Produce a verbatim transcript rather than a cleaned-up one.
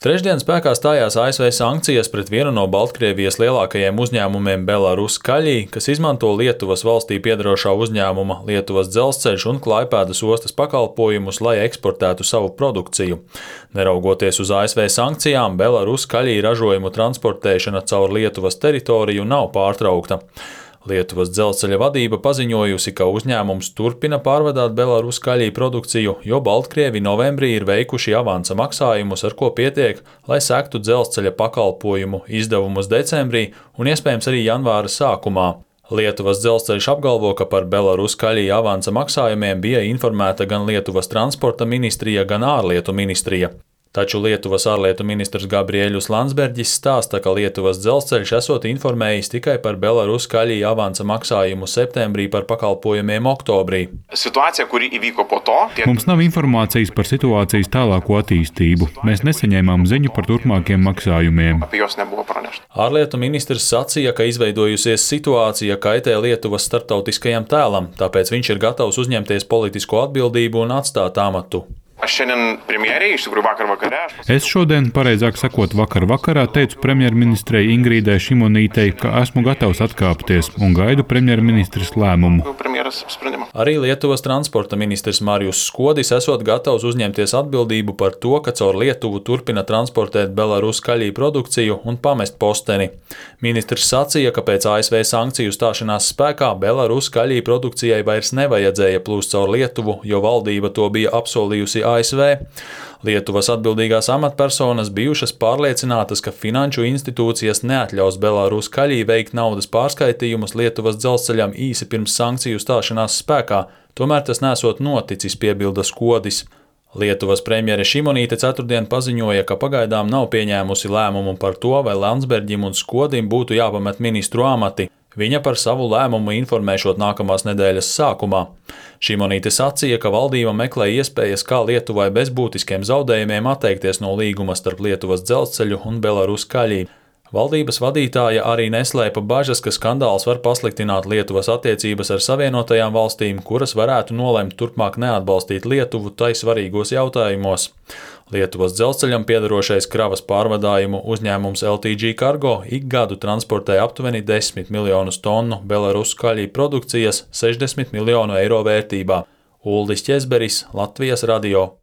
Trešdien spēkā stājās A S V sankcijas pret vienu no Baltkrievijas lielākajiem uzņēmumiem Belarus Kaļi, kas izmanto Lietuvas valstī piederošā uzņēmuma Lietuvas dzelzceļš un Klaipēdas ostas pakalpojumus, lai eksportētu savu produkciju. Neraugoties uz A S V sankcijām, Belarus Kaļi ražojumu transportēšana caur Lietuvas teritoriju nav pārtraukta. Lietuvas dzelzceļa vadība paziņojusi, ka uzņēmums turpina pārvadāt Belarus Kaļi produkciju, jo Baltkrievi novembrī ir veikuši avansa maksājumus, ar ko pietiek, lai sektu dzelzceļa pakalpojumu izdevumus decembrī un iespējams arī janvāra sākumā. Lietuvas dzelzceļš apgalvo, ka par Belarus Kaļi avansa maksājumiem bija informēta gan Lietuvas transporta ministrija, gan ārlietu ministrija. Taču Lietuvas ārlietu ministrs Gabriēļus Landsbergis stāsta, ka Lietuvas dzelzceļš esot informējis tikai par Belarus Kaļi avansa maksājumu septembrī par pakalpojumiem oktobrī. Situācija, kuri įvyko po to, tiek... Mums nav informācijas par situācijas tālāko attīstību. Mēs nesaņēmām ziņu par turpmākiem maksājumiem. Apie jos nebuvo pranešta. Ārlietu ministrs sacīja, ka izveidojusies situācija kaitē Lietuvas starptautiskajam tēlam, tāpēc viņš ir gatavs uzņemties politisko atbildību un atstāt amatu. Aš šiandien premjerei, iš tikrųjų vakar vakare. Es šodien, pareizāk sakot, vakar vakarā teicu premjerministrei Ingrīdai Šimonītei, ka esmu gatavs atkāpties un gaidu premjerministres lēmumu. Arī Lietuvas transporta ministrs Marijus Skodis esot gatavs uzņemties atbildību par to, ka caur Lietuvu turpina transportēt Belarus Kaļi produkciju un pamest posteni. Ministrs sacīja, ka pēc A S V sankciju stāšanās spēkā Belarus Kaļi produkcijai vairs nevajadzēja plūst caur Lietuvu, jo valdība to bija apsolījusi A S V. Lietuvas atbildīgās amatpersonas bijušas pārliecinātas, ka finanšu institūcijas neatļaus Belarus Kaļi veikt naudas pārskaitījumus Lietuvas dzelzceļam īsi pirms sankciju stāšanās spēkā, tomēr tas nesot noticis, piebilda Skodis. Lietuvas premjere Šimonīte ceturtdien paziņoja, ka pagaidām nav pieņēmusi lēmumu par to, vai Landsbergim un Skodim būtu jāpamet ministru amati. Viņa par savu lēmumu informēšot nākamās nedēļas sākumā. Šimonīte sacīja, ka valdība meklē iespējas, kā Lietuvai bez būtiskiem zaudējumiem atteikties no līguma starp Lietuvas dzelzceļu un Belarus Kaļi. Valdības vadītāja arī neslēpa bažas, ka skandāls var pasliktināt Lietuvas attiecības ar Savienotajām valstīm, kuras varētu nolemt turpmāk neatbalstīt Lietuvu tai svarīgos jautājumos. Lietuvas dzelzceļam piederošais kravas pārvadājumu uzņēmums L T G Cargo ik gadu transportē aptuveni desmit miljonus tonu Belarus Kaļi produkcijas sešdesmit miljonu eiro vērtībā. Uldis Ķezberis, Latvijas radio.